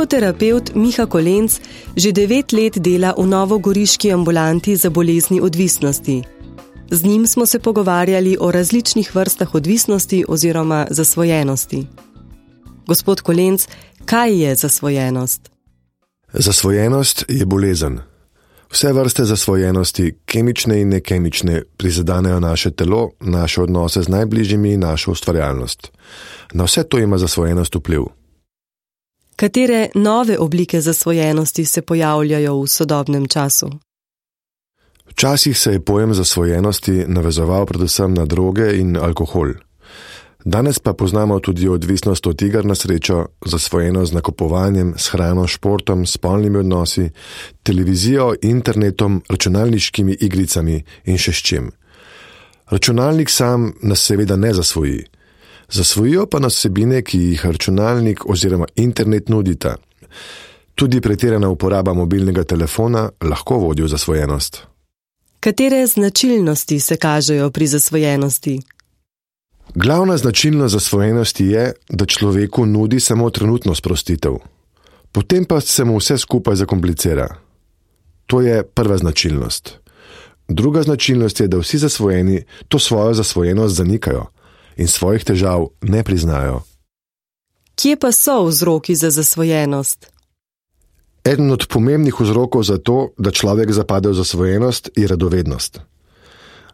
Psihoterapevt Miha Kolenc že 9 let dela v novogoriški ambulanti za bolezni odvisnosti. Z njim smo se pogovarjali o različnih vrstah odvisnosti oziroma zasvojenosti. Gospod Kolenc, kaj je zasvojenost? Zasvojenost je bolezen. Vse vrste zasvojenosti, kemične in nekemične, prizadenejo naše telo, naše odnose z najbližjimi in našo ustvarjalnost. Na vse to ima zasvojenost vpliv. Katere nove oblike zasvojenosti se pojavljajo v sodobnem času? Včasih se je pojem zasvojenosti navezoval predvsem na droge in alkohol. Danes pa poznamo tudi odvisnost od iger na srečo, zasvojenost z nakupovanjem, s hrano, športom, spolnimi odnosi, televizijo, internetom, računalniškimi igricami in še s čim. Računalnik sam nas seveda ne zasvoji. Zasvojijo pa nas vsebine, ki jih računalnik oziroma internet nudita. Tudi pretirana uporaba mobilnega telefona lahko vodi v zasvojenost. Katere značilnosti se kažejo pri zasvojenosti? Glavna značilnost zasvojenosti je, da človeku nudi samo trenutno sprostitev. Potem pa se mu vse skupaj zakomplicira. To je prva značilnost. Druga značilnost je, da vsi zasvojeni to svojo zasvojenost zanikajo in svojih težav ne priznajo. Kje pa so vzroki za zasvojenost? Eden od pomembnih vzrokov za to, da človek zapade v zasvojenost, je radovednost.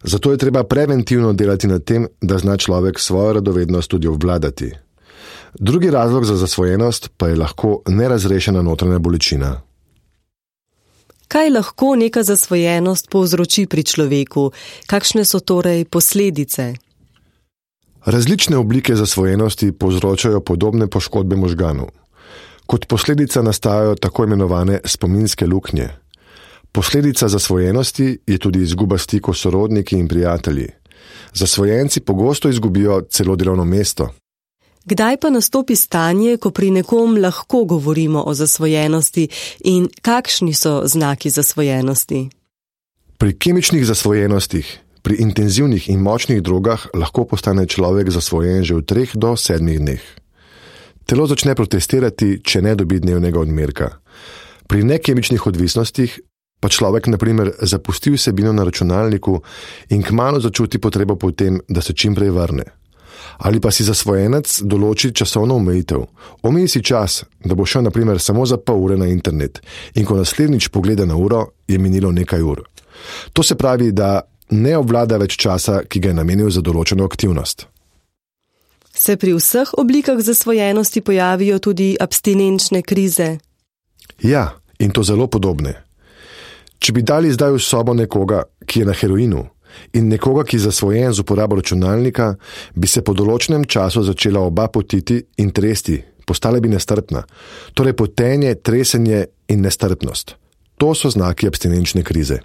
Zato je treba preventivno delati na tem, da zna človek svojo radovednost tudi obvladati. Drugi razlog za zasvojenost pa je lahko nerazrešena notranja bolečina. Kaj lahko neka zasvojenost povzroči pri človeku? Kakšne so torej posledice? Različne oblike zasvojenosti povzročajo podobne poškodbe možganov. Kot posledica nastajajo tako imenovane spominske luknje. Posledica zasvojenosti je tudi izguba stikov s sorodniki in prijatelji. Zasvojenci pogosto izgubijo celo delovno mesto. Kdaj pa nastopi stanje, ko pri nekom lahko govorimo o zasvojenosti in kakšni so znaki zasvojenosti? Pri kemičnih zasvojenostih, pri intenzivnih in močnih drogah lahko postane človek zasvojen že v 3 do 7 dneh. Telo začne protestirati, če ne dobi dnevnega odmerka. Pri nekemičnih odvisnostih pa človek na primer zapusti vsebino na računalniku in kmalu začuti potrebo po tem, da se čim prej vrne. Ali pa si zasvojenec določi časovno omejitev. Omeji si čas, da bo šel na primer samo za pol ure na internet in ko naslednjič pogleda na uro, je minilo nekaj ur. To se pravi, da ne obvlada več časa, ki ga je namenil za določeno aktivnost. Se pri vseh oblikah zasvojenosti pojavijo tudi abstinenčne krize? Ja, in to zelo podobne. Če bi dali zdaj v sobo nekoga, ki je na heroinu, in nekoga, ki je zasvojen z uporabo računalnika, bi se po določenem času začela oba potiti in tresti, postala bi nestrpna. Torej potenje, tresenje in nestrpnost. To so znaki abstinenčne krize.